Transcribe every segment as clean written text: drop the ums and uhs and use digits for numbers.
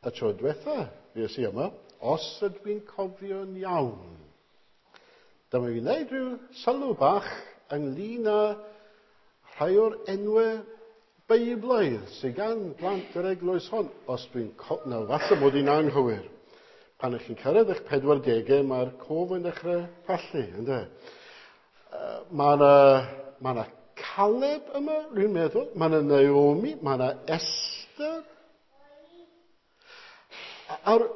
Y tro diwetha fues i yma, os ydw i'n cofio'n iawn, dyma fi'n gwneud rhyw sylw bach ynglyn â rhai o'r enwau Beiblaidd sydd gan blant yr eglwys hon. Os dwi'n co... Na, falle bod i'n anghywir. Pan ych chi'n cyrraedd eich 40au, mae'r cof yn dechrau pallu, ynddo? Mae yna ma 'na Caleb yma, rwy'n meddwl. Mae yna Naomi, mae yna Esther. A'r...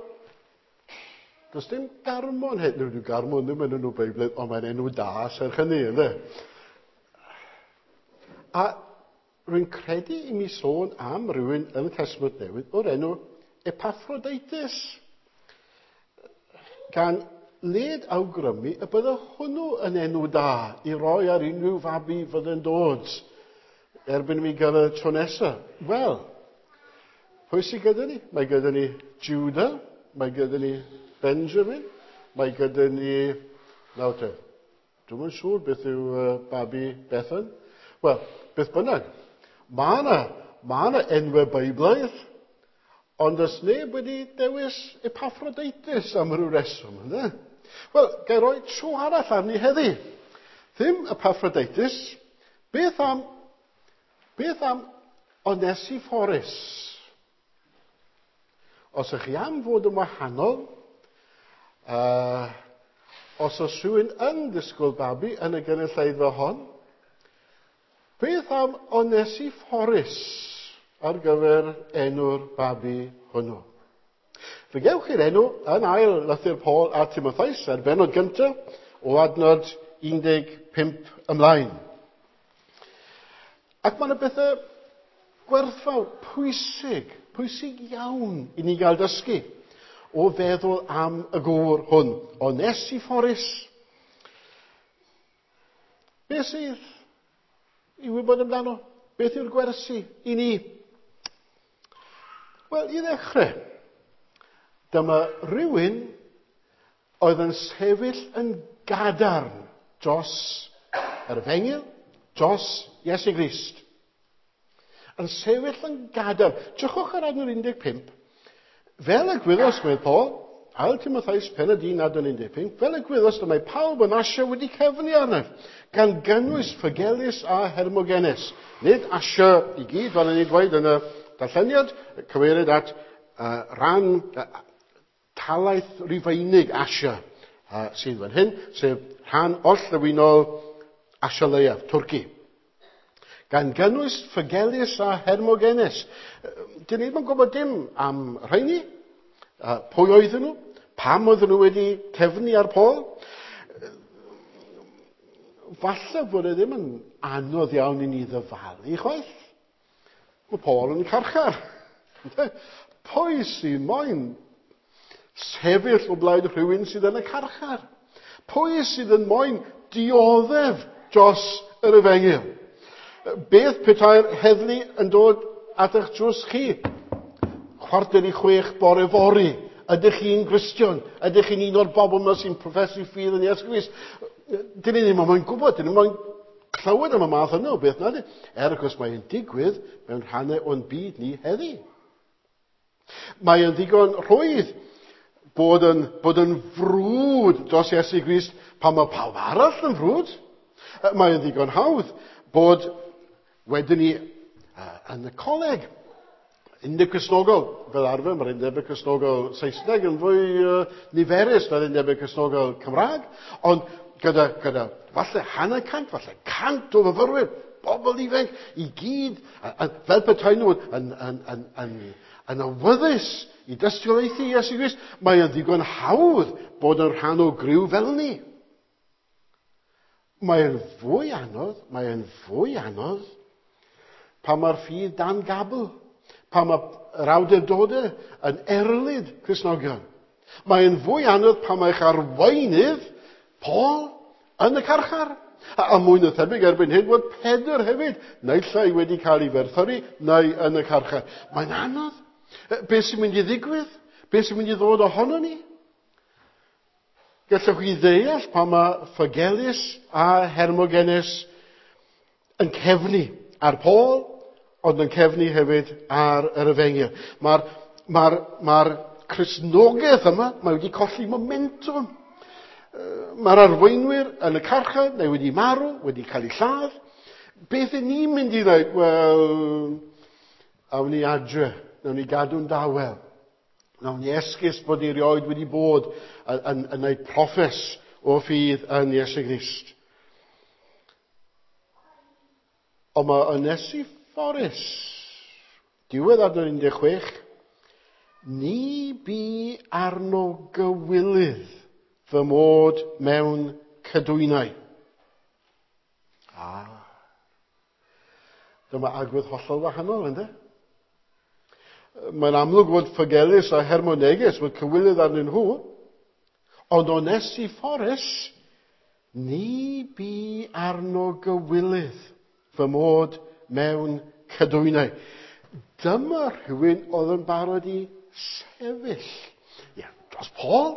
Does dim Garmon hyn. Nid yw Garmon ddim yn enw Beiblaidd, ond mae'n enw da serch hynny, ynddo? A rwy'n credu i mi sôn am rywun yn y Testament Newydd o'r enw Epaphroditus, gan led awgrymu y bydde hwnnw yn enw da i roi ar unrhyw fabi fydde'n dod erbyn i mi gyrraedd tro nesaf. Wel, pwy sydd gyda ni? Mae gyda ni Judah, mae gyda ni Benjamin, mae gyda ni... Nawr te, dwi'm yn siŵr beth yw babi Bethan. Wel, beth bynnag, mae yna ma 'na enwau Beiblaidd, ond oes neb wedi dewis Epaphroditus am ryw reswm, ynddo? Wel, gai roi tro arall arni heddi. Ddim Epaphroditus, beth am Onesiphorus? Os ydych chi am fod yn wahanol, os oes rhywun yn disgwyl babi yn y gynulleidfa hon, beth am Onesiphorus ar gyfer enw'r babi hwnnw? Fe gewch chi'r enw yn ail lythyr Paul a Timotheus ar bennod gyntaf o adnod 15 ymlaen. Ac mae yna bethau gwerthfawr, pwysig, pwysig iawn i ni gael dysgu o feddwl am y gŵr hwn, Onesiphorus. Beth sydd i wybod amdano? Beth yw'r gwersi i ni? Wel, i ddechrau, dyma rhywun oedd yn sefyll yn gadarn dros yr efengyl, dros Iesu Grist. Yn sefyll yn gadarn. Drychwch ar adnod 15. Fel y gwyddost, medd Paul, ail Timotheus pennod 1 adnod 15, fel y gwyddost y mae pawb yn Asia wedi cefnu arnaf, gan gynnwys Phygelus a Hermogenes. Nid Asia i gyd, fel o'n i'n dweud yn y darlleniad, cyfeirid at ran talaith Rufeinig Asia sydd fan hyn, sef rhan orllewinol Asia Leiaf, Twrci. Gan gynnwys Phygelus a Hermogenes. Dyn ni ddim yn gwybod dim am rheini. Pwy oedden nhw? Pam oedden nhw wedi cefnu ar Paul? Falle bod e ddim yn anodd iawn i ni ddyfalu chwaith. Mae Paul yn carchar. Pwy sy'n moyn sefyll o blaid rhywun sydd yn y carchar? Pwy sydd yn moyn dioddef dros yr efengyl? Beth petai'r heddlu yn dod at eich drws chi? 5:45 bore fory. Ydych chi'n Gristion? Ydych chi'n un o'r bobl yma sy'n proffesu ffydd yn Iesu Grist? Dyn ni ddim yn gwybod, dyn ni ddim yn clywed am y math yna o beth, nadi? Er, wrth gwrs, mae'n digwydd mewn rhannau o'n byd ni heddi. Mae yn ddigon rhwydd bod yn frwd dros Iesu Grist pan mae pawb arall yn frwd. Mae yn ddigon hawdd bod wedyn ni yn y coleg, Undeb Cristnogol, fel arfer, mae'r Undeb Cristnogol Saesneg yn fwy niferus na'r Undeb Cristnogol Cymraeg, ond gyda falle 150, falle 100 o fyfyrwyr, bobl ifanc, i gyd, a fel petai nhw yn awyddus i dystiolaethu Iesu Grist, mae yn ddigon hawdd bod yn rhan o griw fel ni. Mae'n fwy anodd, mae'n fwy anodd pan mae'r ffydd dan gabl, pan mae'r awdurdodau yn erlid Cristnogion. Mae'n fwy anodd pan mae'ch arweinydd, Paul, yn y carchar. A mwy na thebyg erbyn hyn bod Pedr hefyd, naill ai wedi cael ei ferthyru neu yn y carchar. Mae'n anodd. Beth sy'n mynd i ddigwydd? Beth sy'n mynd i ddod ohono ni? Gallwch chi ddeall pan mae Phygelus a Hermogenes yn cefnu ar Paul, ond yn cefnu hefyd ar yr efengyl. Mae'r Mae'r Cristnogaeth yma, mae wedi colli momentum. Mae'r arweinwyr yn y carchar, neu wedi marw, wedi cael eu lladd. Beth y'n ni'n mynd i ddweud? Wel, awn ni adre, nawn ni gadw'n dawel. Nawn ni esgus bod ni erioed wedi bod yn gwneud proffes o ffydd yn Iesu Grist. Ond mae Onesiphorus, diwedd adnod 16, ni bu arno gywilydd fy mod mewn cydwynau. Dyma agwedd hollol wahanol, ynddo? Mae'n amlwg fod Ffogelus a Hermoneges fod cywilydd arnyn nhw, ond Onesiphorus, ni bu arno gywilydd fy mod mewn cydwynau. Dyma rhywun oedd yn barod i sefyll. Ie, dros Paul,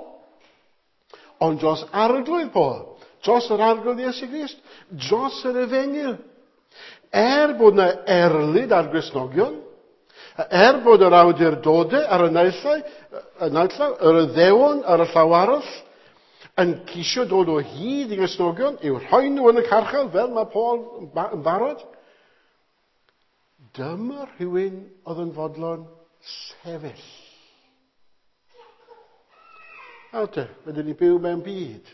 ond dros arglwydd Paul, dros yr arglwydd Iesu Grist, dros yr efengyl. Er bod yna erlid ar Gristnogion, er bod yr awdurdodau ar y naill llaw, yr Iddewon ar y llaw arall, yn ceisio dod o hyd i Gristnogion, i'w rhoi nhw yn y carchar fel mae Paul yn barod. Dyma rhywun oedd yn fodlon sefyll. Nawr te, rydyn ni byw mewn byd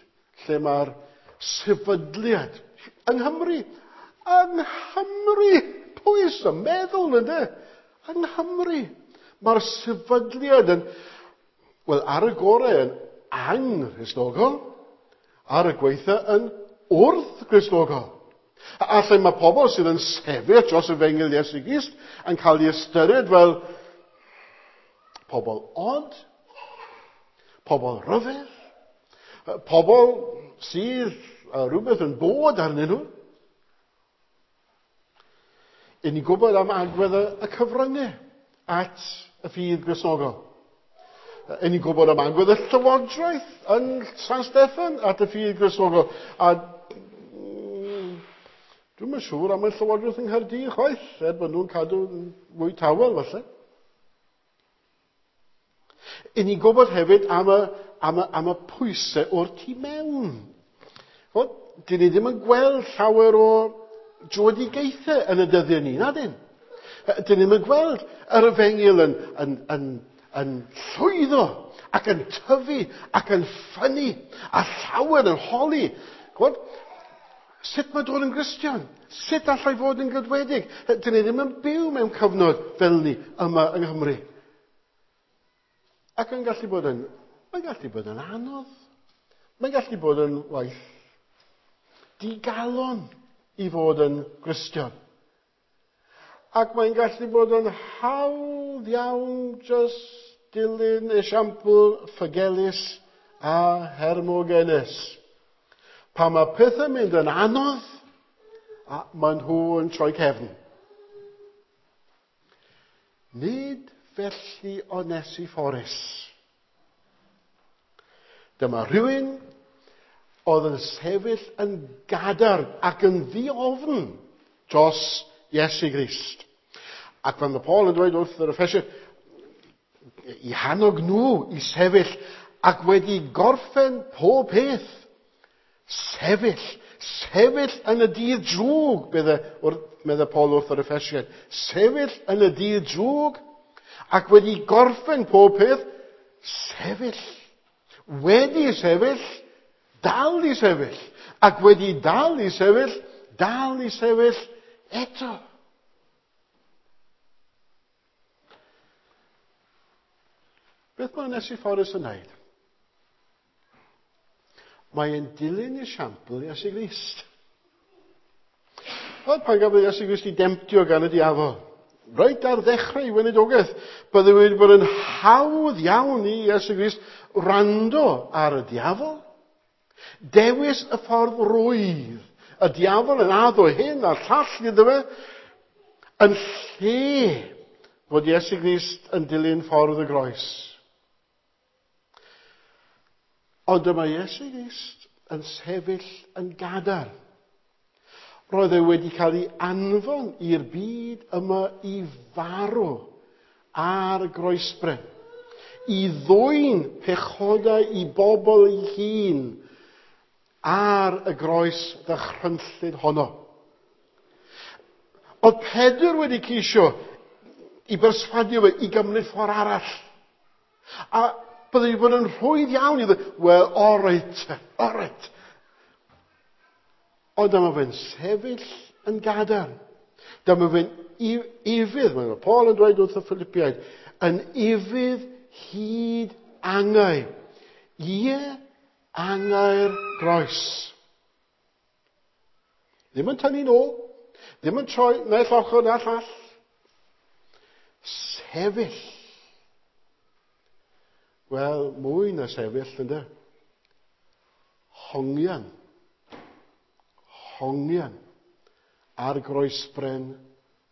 lle mae'r sefydliad yng Nghymru, pwy sy'n meddwl ynddo? Yng Nghymru, mae'r sefydliad yn, wel, ar y gorau yn anghristnogol, ar y gweitha yn wrth-gristnogol. A lle mae pobl sydd yn sefyll dros efengyl Iesu Grist yn cael ei ystyried fel pobl od, pobl ryfedd, pobl sydd â rhywbeth yn bod arnyn nhw. I ni'n gwybod am agwedd y cyfryngau at y ffydd Gristnogol. I ni'n gwybod am agwedd y llywodraeth yn San Steffan at y ffydd Gristnogol. A dwi'm yn siŵr am y llywodraeth yng Nghaerdydd chwaith, er bod nhw'n cadw mwy tawel falle. I ni'n gwybod hefyd am y pwysau o'r tu mewn. Wel, dyn ni ddim yn gweld llawer o dröedigaethau yn y dyddiau ni, na dyn? Dyn ni ddim yn gweld yr efengyl yn llwyddo ac yn tyfu ac yn ffynnu a llawer yn holi. Gweld, sut mae dod yn Gristion? Sut allai fod yn gydwedig? Dyn ni ddim yn byw mewn cyfnod fel ni yma yng Nghymru. Ac yn gallu bod yn, mae'n gallu bod yn anodd. Mae'n gallu bod yn waith digalon i fod yn Gristion. Ac mae'n gallu bod yn hawdd iawn just dilyn esiampl Ffogelus a Hermogenes. Pan mae pethau'n mynd yn anodd, a maen nhw yn troi cefn. Nid felly Onesiphorus. Dyma rhywun oedd yn sefyll yn gadarn ac yn ddiofn dros Iesu Grist. Ac pan mae Paul yn dweud wrth yr Effesiaid i hannog nhw i sefyll ac wedi gorffen pob peth, sefyll, sefyll yn y dydd drwg, medde Paul wrth yr Effesiaid, sefyll yn y dydd drwg ac wedi gorffen pob peth, sefyll. Wedi sefyll, dal i sefyll. Ac wedi dal i sefyll, dal i sefyll eto. Beth mae Onesiphorus yn wneud? Mae'n dilyn esiampl Iesu Grist. Wel, pan gafodd Iesu Grist ei demtio gan y diafol, reit ar ddechrau ei weinidogaeth, bydde wedi bod yn hawdd iawn i Iesu Grist wrando ar y diafol. Dewis y ffordd rwydd. Y diafol yn addo hyn a'r llall iddo fe, yn lle fod Iesu Grist yn dilyn ffordd y groes. Ond dyma Iesu Grist yn sefyll yn gadarn. Roedd e wedi cael ei anfon i'r byd yma i farw ar y groesbren i ddwyn pechodau i bobl ei hun ar y groes ddychrynllyd honno. Oedd Pedr wedi ceisio i berswadio fe i gymryd ffordd arall. A byddai wedi bod yn rhwydd iawn i ddweud, wel, all right. Ond dyma fe'n sefyll yn gadarn. Dyma fe'n ufudd, mae Paul yn dweud wrth y Philippiaid, yn ufudd hyd angau. Ie, angau'r groes. Ddim yn tynnu nôl, ddim yn troi naill ochr na'r llall. Sefyll. Wel, mwy na sefyll, ynde? Hongian. Hongian ar groesbren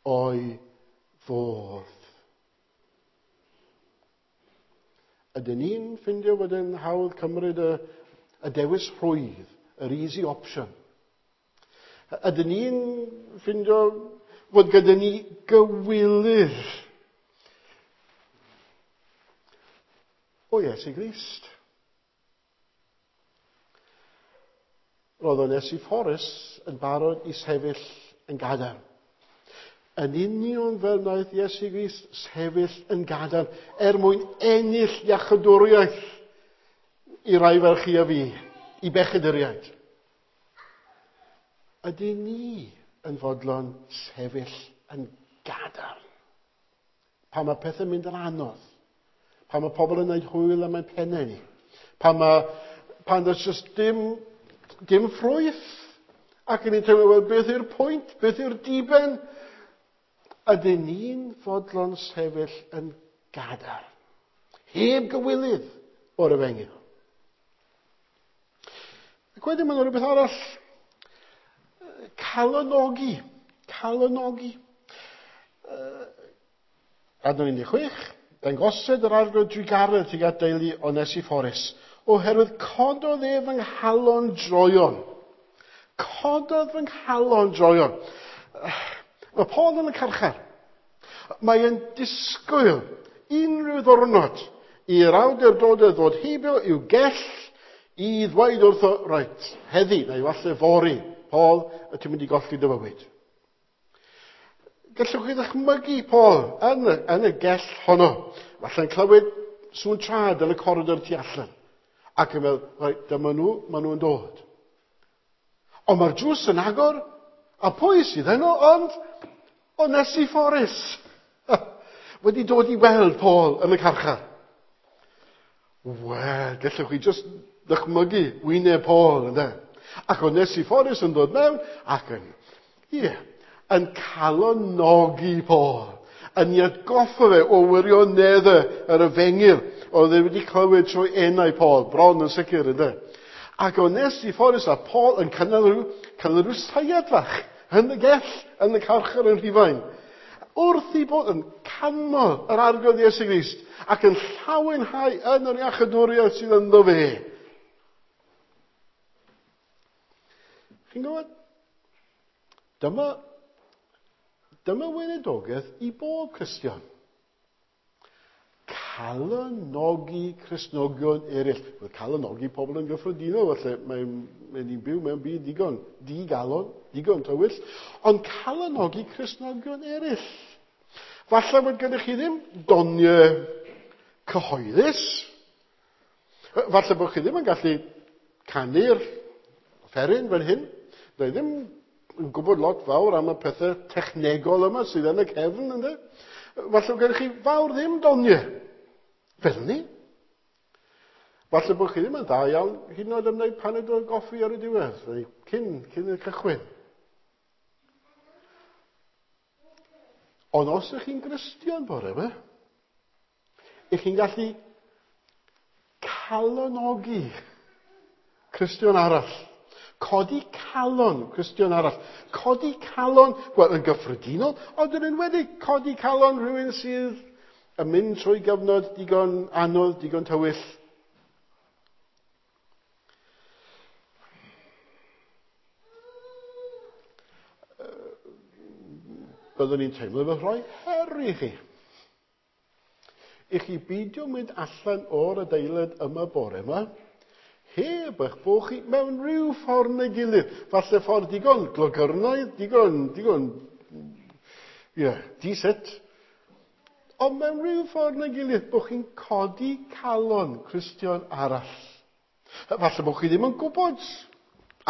o'i fodd. Ydyn ni'n ffindio bod yn hawdd cymryd y dewis rhwydd, yr easy option? Ydyn ni'n ffindio fod gyda ni gywilydd o Iesu Grist? Roedd Onesiphorus yn barod i sefyll yn gadarn. Yn union fel wnaeth Iesu Grist sefyll yn gadarn er mwyn ennill iachydwriaeth i rai fel chi a fi, i bechaduriaid. Ydyn ni yn fodlon sefyll yn gadarn? Pan mae pethau'n mynd yn anodd, pan mae pobl yn gwneud hwyl am ein pennau ni, pan does just dim ffrwyth, ac yn ni'n teimlo, wel, beth yw'r pwynt, beth yw'r diben? Ydyn ni'n fodlon sefyll yn gadarn, heb gywilydd o'r efengyl? Ac wedyn mae'n rhywbeth arall, calonogi. Adnod 16, dangosed yr arglwydd drugaredd tuag at deulu Onesiphorus, oherwydd cododd ef fy nghalon droion. Cododd fy nghalon droion. Mae Paul yn y carchar. Mae e'n disgwyl unrhyw ddwrnod i'r awdurdodau ddod heibio i'w gell i ddweud wrtho, reit, heddi, neu falle fory, Paul, y ti'n mynd i golli dy fywyd. Gallwch chi ddychmygu Paul yn y gell honno. Falle'n clywed sŵn trad yn y coridor tu allan. Ac yn meddwl, reit, dyma nhw, maen nhw'n dod. Ond mae'r drws yn agor, a pwy sydd yno ond Onesiphorus wedi dod i weld Paul yn y carchar. Wel, gallwch chi just ddychmygu wyneb Paul, ynde? Ac Onesiphorus yn dod mewn ac yn calonogi Paul, yn ei atgoffa fe o wirioneddau yr efengyl oedd e wedi clywed trwy enau Paul, bron yn sicr, ynde? Ac Onesiphorus a Paul yn cynnal rhyw seiad fach yn y gell, yn y carchar yn Rhufain, wrth i bod yn canmol yr Arglwydd Iesu Grist ac yn llawenhau yn yr iachydwriaeth sydd ynddo fe. Chi'n gwybod? Dyma weinidogaeth i bob Cristion. Calonogi Cristnogion eraill. Wel, calonogi pobl yn gyffredinol, falle mae ni'n byw mewn byd digon digalon, digon tywyll, ond calonogi Cristnogion eraill. Falle bod gennych chi ddim doniau cyhoeddus. Falle bod chi ddim yn gallu canu'r offeryn fel hyn. Dwi ddim yn gwybod lot fawr am y pethau technegol yma sydd yn y cefn, ynde? Falle bod gennych chi fawr ddim doniau fel ni. Falle bod chi ddim yn dda iawn hyd yn oed am wneud paned o goffi ar y diwedd, neu cyn y cychwyn. Ond os ydych chi'n Gristion bore yma, ych chi'n gallu calonogi Cristion arall. Codi calon Cristion arall. Codi calon, wel, yn gyffredinol, ond yn enwedig codi calon rhywun sydd yn mynd trwy gyfnod digon anodd, digon tywyll. Byddwn ni'n teimlo fel rhoi her i chi. i chi beidio mynd allan o'r adeilad yma bore yma, heb eich bod chi mewn rhyw ffordd neu gilydd. Falle ffordd digon glogyrnaidd, digon, ie, di-sut. Ond mewn rhyw ffordd neu gilydd, bod chi'n codi calon Cristion arall. Falle bod chi ddim yn gwybod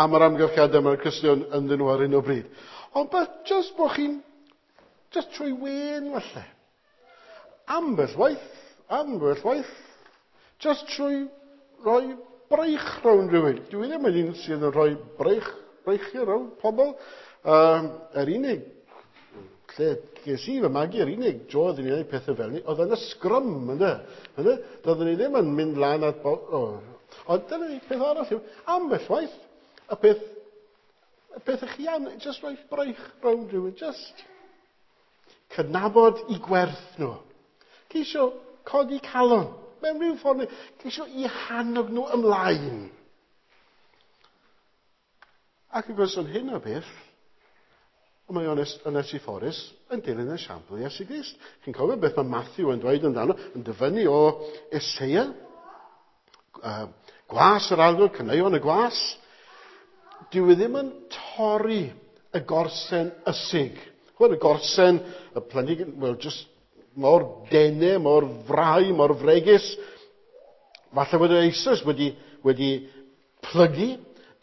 am yr amgylchiadau mae'r Cristion ynddyn nhw ar hyn o bryd. Ond beth, just bod chi'n, just trwy wên falle. Ambell waith, just trwy roi braich rownd rhywun. Dwi ddim yn un sydd yn rhoi breichiau rownd pobl. Yr unig lle ges i fy magu, yr unig dro oeddwn i'n gwneud pethau fel ni, oedd yn y sgrym, ynde? Doeddwn i ddim yn mynd lan at bobl. Ond dyna ni, peth arall yw, ambell waith, y peth ych chi am, just rhoi braich rownd rhywun, just cydnabod i gwerth nhw. Ceisio codi calon, mewn rhyw ffordd, ceisio i hannog nhw ymlaen. Ac wrth gwrs, yn hyn o beth, mae Onesiphorus yn dilyn esiampl Iesu Grist. Chi'n cofio beth mae Matthew yn dweud amdano, yn dyfynnu o Eseia, gwas yr arglwydd, caneuon y gwas. Dyw e ddim yn torri y gorsen ysig. Chwbod, y gorsen, y planhigyn, wel, just mor dene, mor frau, mor fregus. Falle bod e eisoes wedi plygu.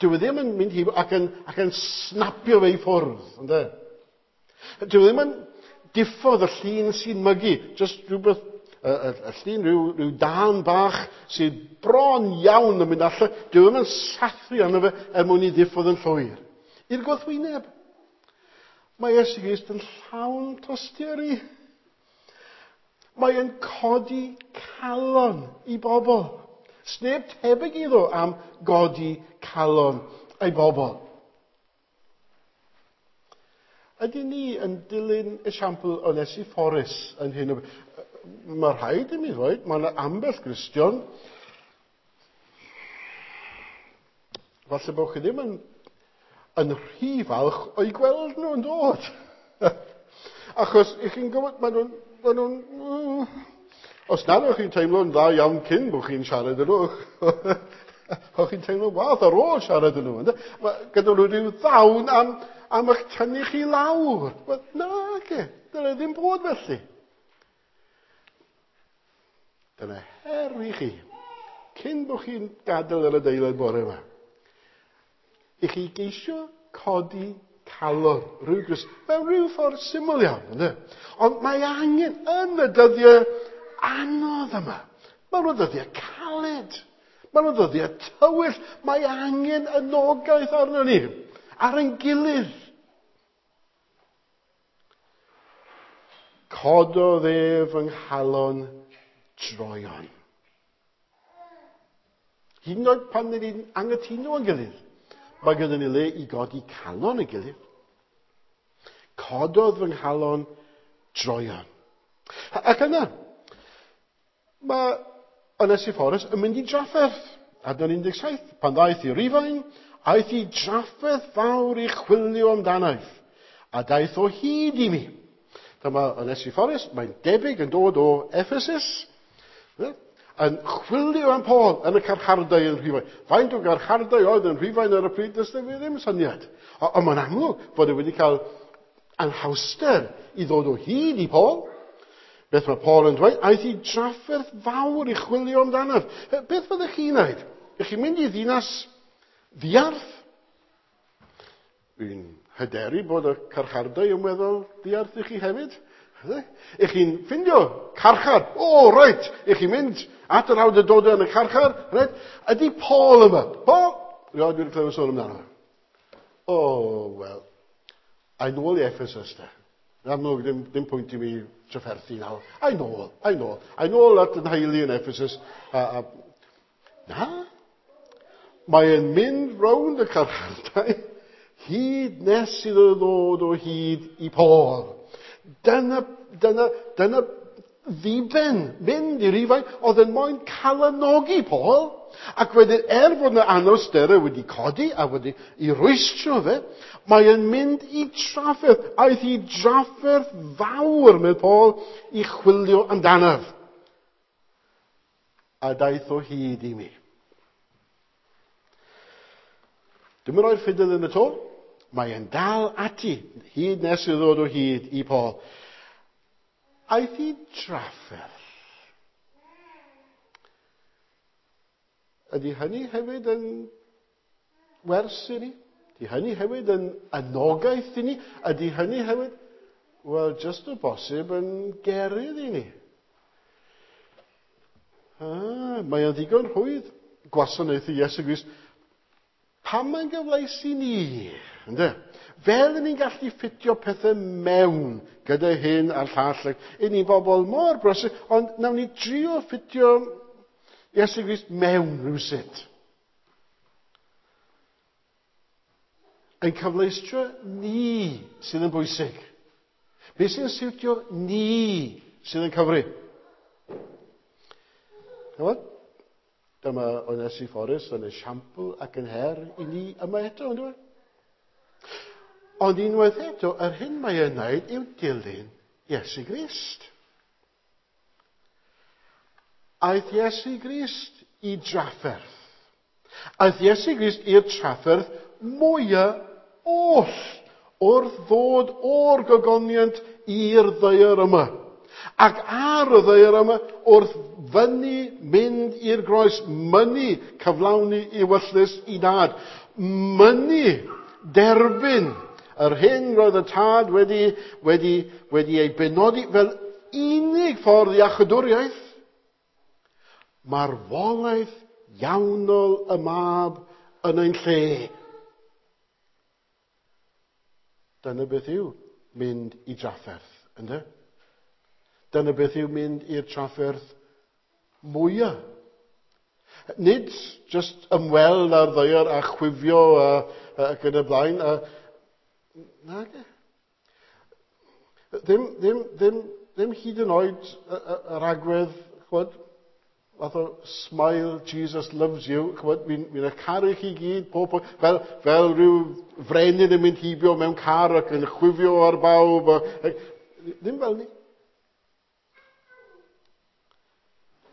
Dyw e ddim yn mynd heibio ac yn snapio fe i ffwrdd, ynde? Dyw e ddim yn diffodd y llun sy'n mygu, just rhywbeth, y llun, rhyw dan bach sydd bron iawn yn mynd allan. Dyw e ddim yn sathru arno fe er mwyn i ddiffodd yn llwyr. I'r gwrthwyneb, mae Iesu Grist yn llawn tosturi. Mae e'n codi calon i bobl. Sneb tebyg iddo am godi calon ei bobl. Ydyn ni yn dilyn esiampl Onesiphorus yn hyn o beth? Mae rhaid i mi ddweud, mae yna ambell Gristion. Falle bod chi ddim yn rhy falch o'i gweld nhw yn dod. Achos, i chi'n gwybod, maen nhw'n, os nad o'ch chi'n teimlo'n dda iawn cyn bod chi'n siarad â nhw, o'ch chi'n teimlo'n wath ar ôl siarad â nhw. Ynde? Gyda nhw rhyw ddawn am eich tynnu chi lawr. Wel, na, ge, dyna ddim bod felly. Dyna her i chi, cyn bod chi'n gadael yr adeilad bore yma, i chi geisio codi calon rhyw Grist, mewn rhyw ffordd syml iawn, ynde? Ond mae angen yn y dyddiau anodd yma. Mae nhw'n ddyddiau caled. Mae nhw'n ddyddiau tywyll. Mae angen anogaeth arno ni, ar ein gilydd. Cododd ef yng nghalon droeon. Hyd yn oed pan ni'n anghytuno yn gilydd, mae gyda ni le i godi calon y gilydd. Cododd fy nghalon droeon. Ac yna, mae Onesiphorus yn mynd i drafferth. Adnod 17, pan ddaeth i Rufain, aeth i drafferth fawr i chwilio amdanaeth, a daeth o hyd i mi. Dyma Onesiphorus, mae'n debyg yn dod o Ephesus, yn chwilio am Paul yn y carchardai yn Rhufain. Faint o garchardai oedd yn Rhufain ar y pryd, does dim ddim syniad. Ond mae'n amlwg bod e wedi cael anhawster i ddod o hyd i Paul. Beth mae Paul yn dweud? Aeth i drafferth fawr i chwilio amdanaf. Beth fyddech chi'n wneud? Ych chi'n mynd i ddinas ddiarth? Dwi'n hyderu bod y carchardai yn weddol ddiarth i chi hefyd. Ych chi'n ffindio carchar? O, reit! Ych chi'n mynd at yr awdurdodau yn y carchar? Reit? Ydy Paul yma? Paul? Rioed wedi clywed sôn amdano. O, wel, a'i nôl i Ephesus de. Yn amlwg, ddim pwynt i mi trafferthu nawr. A'i nôl, a'i nôl. A'i nôl at yn nheulu yn Ephesus. Na. Mae'n mynd rownd y carchardai hyd nes iddo ddod o hyd i Paul. Dyna ddiben mynd i Rufain oedd yn moyn calanogi Paul. Ac wedyn, er fod yna anawsterau wedi codi a wedi i rwystro fe, mae'n mynd i trafferth. Aeth i drafferth fawr, medd Paul, i chwilio amdanaf. A daeth o hyd i mi. Dwi'm yn rhoi'r ffidil yn y to. Mae e'n dal ati hyd nes i ddod o hyd i Paul. Aeth i drafferth. Ydy hynny hefyd yn wers i ni? Ydy hynny hefyd yn anogaeth i ni? Ydy hynny hefyd, wel, just o bosib yn gerydd i ni? Mae o'n ddigon rhwydd gwasanaethu Iesu Grist. Pam mae'n gyfleus i ni? Ynde? Fel ni'n gallu ffitio pethau mewn gyda hyn a'r llall. I ni'n bobl mor brysur, ond nawn ni drio ffitio Iesu Grist mewn rhywsut. Ein cyfleustra ni sydd yn bwysig. Be sy'n siwtio ni sydd yn cyfri. Chymod? Dyma Onesiphorus yn esiampl ac yn her i ni yma eto, ynddo? Ond unwaith eto, yr hyn mae e'n wneud yw dilyn Iesu Grist. Aeth Iesu Grist i drafferth. Aeth Iesu Grist i'r trafferth mwyaf oll wrth ddod o'r gogoniant i'r ddaear yma. Ac ar y ddaear yma, wrth fyny mynd i'r groes, mynnu cyflawni ewyllys i dad, mynnu derbyn yr hyn roedd y tad wedi, wedi, wedi ei benodi fel unig ffordd iachydwriaeth. Marwolaeth iawnol y mab yn ein lle. Dyna beth yw mynd i drafferth, ynddo? Dyna beth yw mynd i'r trafferth mwyaf. Nid just ymweld â'r ddaear a chwifio ac yn y blaen. Nage. Ddim, ddim, ddim, ddim hyd yn oed yr agwedd, chwod, fath o smile, Jesus loves you, chwod, fi'n fi caru chi gyd, pob, pob, fel, fel rhyw frenin yn mynd heibio mewn car ac yn chwifio ar bawb. A, ddim fel ni.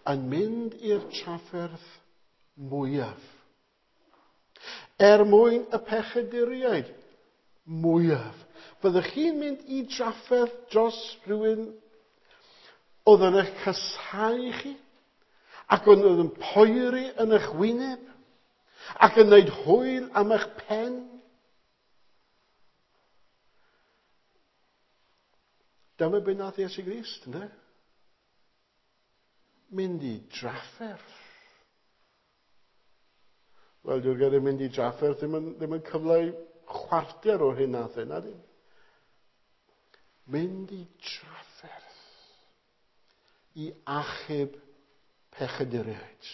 Yn mynd i'r trafferth mwyaf. Er mwyn y pechaduriaid mwyaf. Fyddwch chi'n mynd i drafferth dros rhywun oedd yn eich casáu chi ac oedd yn poeri yn eich wyneb ac yn gwneud hwyl am eich pen? Dyma beth nath Iesu Grist, ynddo? Mynd i drafferth. Wel, dyw'r gair mynd i drafferth ddim yn, ddim yn cyfleu chwarter o'r hyn nath e, na dim. Mynd i trafferth i achub pechaduriaid.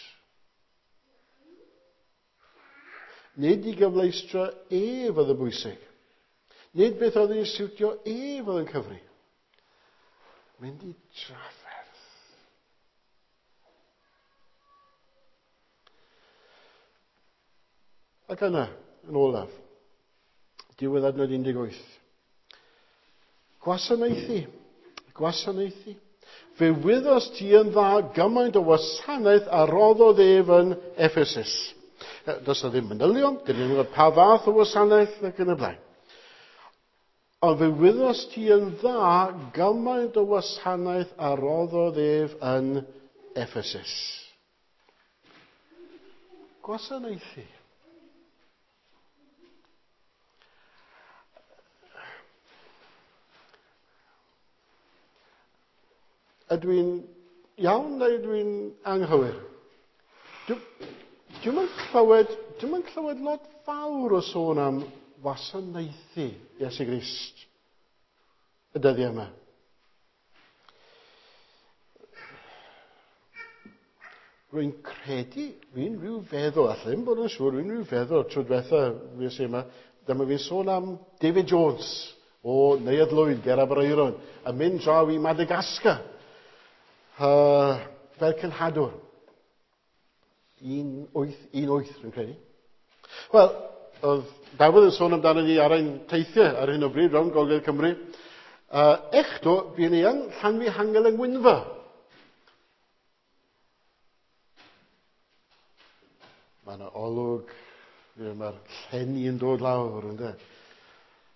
Nid i gyfleustra ef oedd yn bwysig. Nid beth oedd yn siwtio ef oedd yn cyfri. Mynd i trafferth. Ac yna, yn olaf, diwedd adnod 18. Gwasanaethu. Gwasanaethu. Fe wyddost ti yn dda gymaint o wasanaeth a roddodd ef yn Ephesus. Does na ddim manylion, dyn ni'n gwybod pa fath o wasanaeth ac yn y blaen. Ond fe wyddost ti yn dda gymaint o wasanaeth a roddodd ef yn Ephesus. Gwasanaethu. Ydw i'n iawn neu ydw i'n anghywir? Dwi'm yn clywed, dwi'm yn clywed lot fawr o sôn am wasanaethu Iesu Grist y dyddiau yma. Rwy'n credu, fi'n rhyw feddwl, allai ddim bod yn siŵr, rwy'n rhyw feddwl tro diwetha fues i yma, dyma fi'n sôn am David Jones o Neuadd Lwyd ger Aberaeron, yn mynd draw i Madagascar fel cenhadwr. 1818, rwy'n credu. Wel, oedd Dafydd yn sôn amdano ni ar ein teithiau ar hyn o bryd rownd Gogledd Cymru. Echdo, buon ni yn Llanfihangel yng Ngwynfa. Mae yna olwg, mae'r llenni yn dod lawr, ynddo.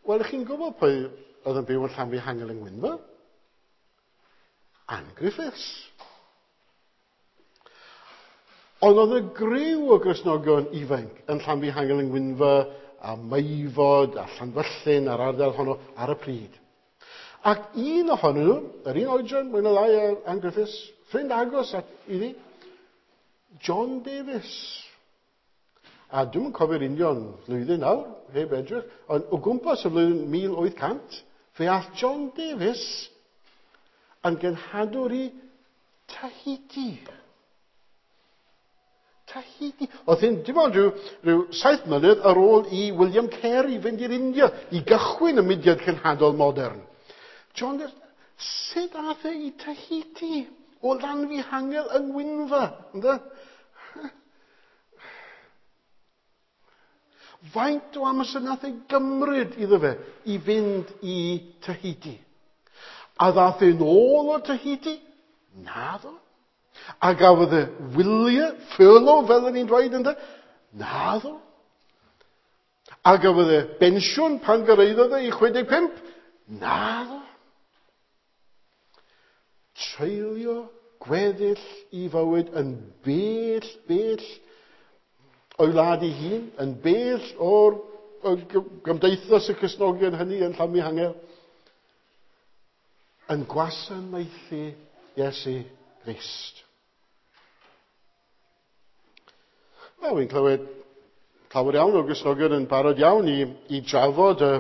Wel, chi'n gwybod pwy oedd yn byw yn Llanfihangel yng Ngwynfa? Ann Griffiths. Ond oedd y griw o Gristnogion ifanc yn Llanfihangel yng Ngwynfa a Meifod a Llanfyllin a'r ardal honno ar y pryd. Ac un ohonyn nhw, yr un oedran, mwy na lai ar Ann Griffiths, ffrind agos at iddi, John Davies. A dwi'm yn cofio'r union flwyddyn nawr, heb edrych, ond o gwmpas y flwyddyn 1800, fe ath John Davies yn genhadwr i Tahiti. Tahiti. Oedd hyn dim ond rhyw 7 mlynedd ar ôl i William Carey fynd i'r India i gychwyn y mudiad cenhadol modern. John Davies, sut ath e i Tahiti o Lanfihangel yng Ngwynfa? Ynde? Faint o amser nath ei gymryd iddo fe i fynd i Tahiti? A ddath e'n ôl o Tahiti? Naddo. A gafodd e wyliau, furlough, fel o'n i'n dweud, ynde? Naddo. A gafodd e bensiwn pan gyrhaeddodd e i 65? Naddo. Treulio gweddill i fywyd yn bell, bell o'i wlad ei hun, yn bell o'r gymdeithas y Cristnogion hynny yn Llanfihangel, yn gwasanaethu Iesu Grist. Wel, wi'n clywed llawer iawn o Gristnogion yn barod iawn i drafod y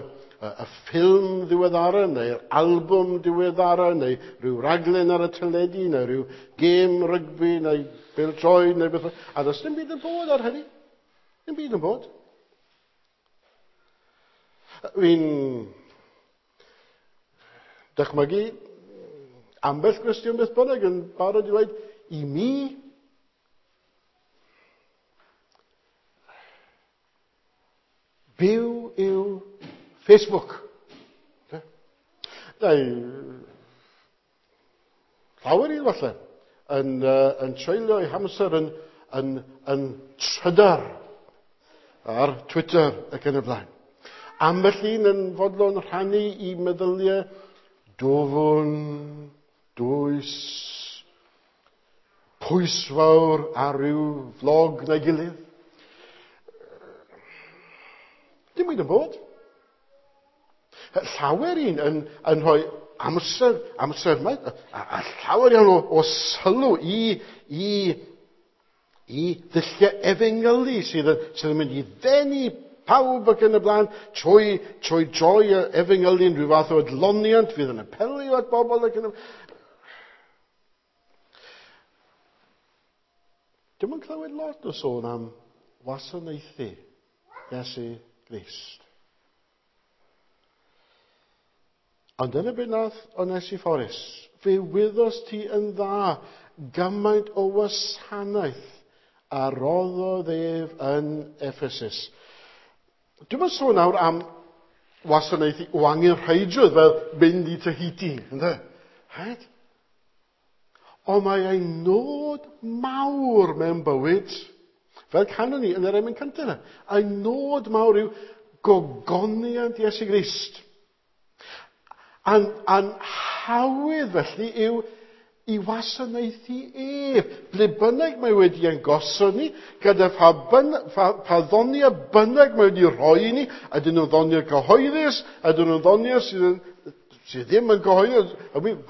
ffilm ddiweddara, neu'r albwm diweddara, neu rhyw raglen ar y teledu, neu rhyw gêm rygbi, neu bêl-droed, neu beth. A does dim byd yn bod ar hynny. Dim byd yn bod. Fi'n dychmygu ambell gwestiwn beth bynnag yn barod i ddweud, i mi, byw yw Facebook. Neu, llawer un falle, yn treulio eu hamser yn trydar ar Twitter ac yn y blaen. Ambell un yn fodlon rhannu i meddyliau dwfwn, dwys, pwysfawr ar ryw flog neu gilydd. Dim byd yn bod. Llawer un yn rhoi amser maith, a llawer iawn o sylw i ddulliau efengylu sydd yn mynd i ddenu pawb ac yn y blaen trwy droi y efengylu yn rhyw fath o adloniant fydd yn apelio at bobl ac yn y blaen. Dwi'm yn clywed lot o sôn am wasanaethu Iesu Grist. Ond dyna beth nath Onesiphorus. Fe wyddost ti yn dda gymaint o wasanaeth a roddodd ef yn Ephesus. Dwi'm yn sôn nawr am wasanaethu o angenrheidrwydd fel mynd i Tahiti, ynde? Rhaid? Ond mae ei nod mawr mewn bywyd, fel canon ni yn yr emyn cyntaf yna, ei nod mawr yw gogoniant Iesu Grist. A'n hawydd felly yw i wasanaethu ef. Ble bynnag mae wedi ein gosod ni, gyda pha ddoniau bynnag mae wedi rhoi i ni, ydyn nhw'n ddoniau cyhoeddus, ydyn nhw'n ddoniau sydd ddim yn cyhoeddus,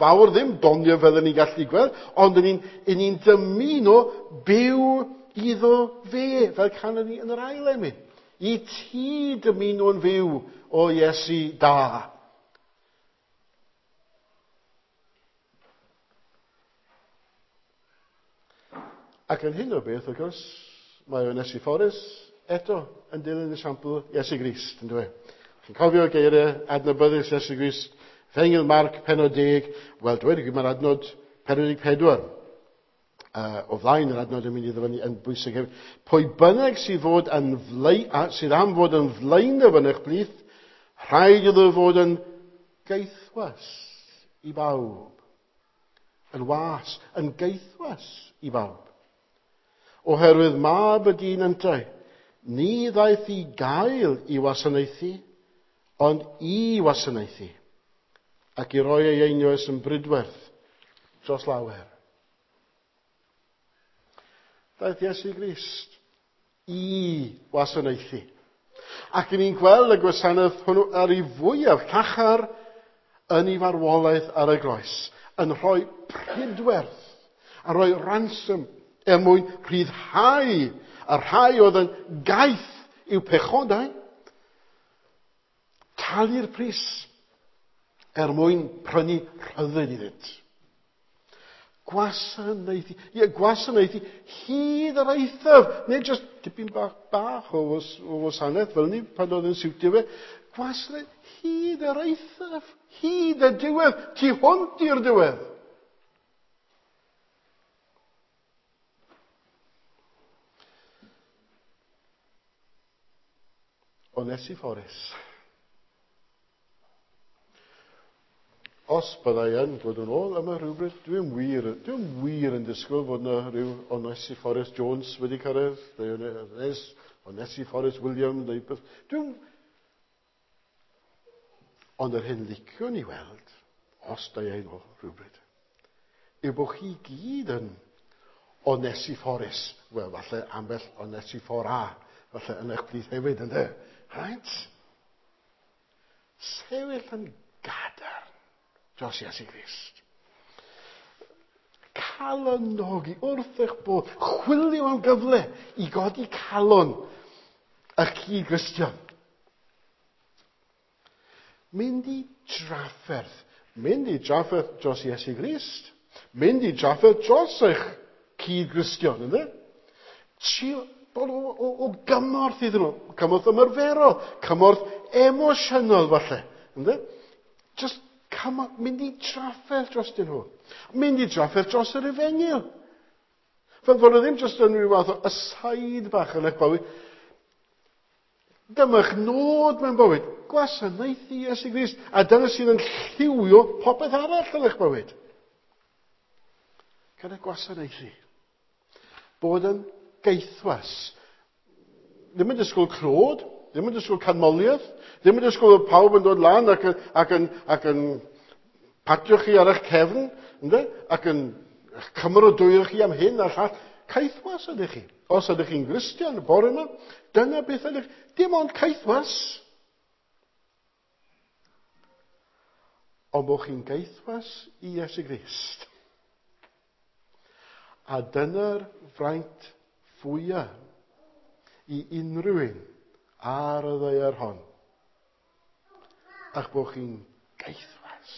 fawr ddim doniau fel ni'n gallu gweld, ond yn ni'n dymuno byw iddo fe, fel canon ni yn yr ail emyn. I ti dymuno'n fyw o Iesu da. Ac yn hyn o beth, wrth gwrs, mae Onesiphorus eto yn dilyn esiampl Iesu Grist, yn dweud. Chi'n cofio geiriau adnabyddus Iesu Grist, Efengyl Marc, pennod 10, wel, dweud y gwir, mae'r adnod 44, o flaen yr adnod yn mynd i ddyfynnu yn bwysig hefyd. Pwy bynnag sydd am fod yn flaenaf yn eich plith, rhaid iddo fod yn gaethwas i bawb. Yn was, yn gaethwas i bawb. Oherwydd mab y dyn yntau, ni ddaeth i gael i wasanaethu, ond i wasanaethu, ac i roi ei einioes yn brydwerth dros lawer. Daeth Iesu Grist i wasanaethu. Ac ni'n gweld y gwasanaeth hwnnw ar ei fwyaf llachar yn ei farwolaeth ar y groes, yn rhoi prydwerth, a rhoi ransom er mwyn rhyddhau y rhai oedd yn gaeth i'w pechodau, talu'r pris er mwyn prynu rhyddid iddynt. Gwasanaethu, ie, gwasanaethu hyd yr eithaf, nid jyst dipyn bach o wasanaeth fel ni pan oedd yn siwtio fe, gwasanaeth hyd yr eithaf, hyd y diwedd, tu hwnt i'r diwedd. Onesiphorus. Os byddai yn dod yn ôl yma rhywbryd, dwi'n wir yn disgwyl fod yna rhyw Onesiphorus Jones wedi cyrraedd, neu Onesiphorus Williams, neu beth. Ond yr hyn liciwn i weld, os da i'n ôl rhywbryd, yw bod chi gyd yn Onesiphorus. Wel, falle ambell Onesiphora, falle yn eich plith hefyd, ynddo? Right? Sefyll yn gadarn dros Iesu Grist. Calonogi wrth eich bod, chwilio am gyfle i godi calon eich cyd-Gristion. Mynd i drafferth dros Iesu Grist, mynd i drafferth dros eich cyd-Gristion, ynddo? Trio bod o gymorth iddyn nhw, cymorth ymarferol, cymorth emosiynol falle, ynddo? Just mynd i drafferth dros dyn nhw. Mynd i drafferth dros yr efengyl. Fel bod nhw ddim jyst yn rhyw fath o aside bach yn eich bywyd. Dyma'ch nod mewn bywyd. Gwasanaethu Iesu Grist. A dyna sydd yn lliwio popeth arall yn eich bywyd. Gyda gwasanaethu. Bod yn gaethwas. Ddim yn disgwyl clod, ddim yn disgwyl canmoliaeth, ddim yn disgwyl bod pawb yn dod lan ac yn patio chi ar eich cefn, ynddo? Ac yn cymeradwyo chi am hyn a'r llall. Caethwas ydych chi. Os ydych chi'n Gristion y bore yma, dyna beth ydych. Dim ond caethwas. Ond bod chi'n gaethwas i Iesu Grist. A dyna'r fraint fwyaf i unrhyw un ar y ddaear hon. A'ch bod chi'n gaethwas.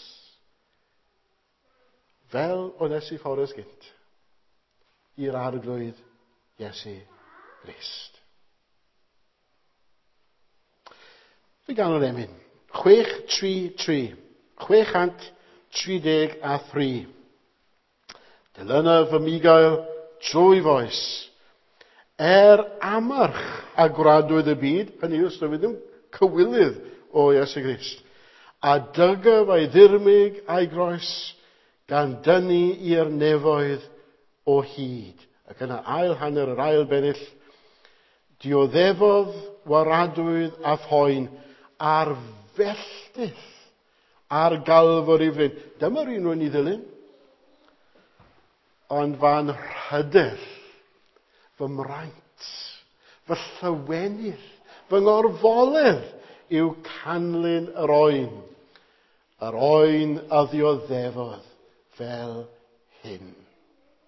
Fel Onesiphorus gynt, i'r Arglwydd Iesu Grist. Fe ganol emyn. 633. 633. Dilynaf fy migael trwy foes. Amarch a gwradwydd y byd, hynny yw, os ddim cywilydd o Iesu Grist, a dygaf a'i ddirmyg a'i groes, gan dynnu i'r nefoedd o hyd. Ac yna ail hanner yr ail bennill, dioddefodd waradwydd a phoen ar felltith ar Galfari fryn. Dyma'r un rwy'n i ddilyn. Ond fan rhydell, fy mraint, fy llywenydd, fy ngorfoledd yw canlyn yr oen. Yr oen a ddioddefodd fel hyn.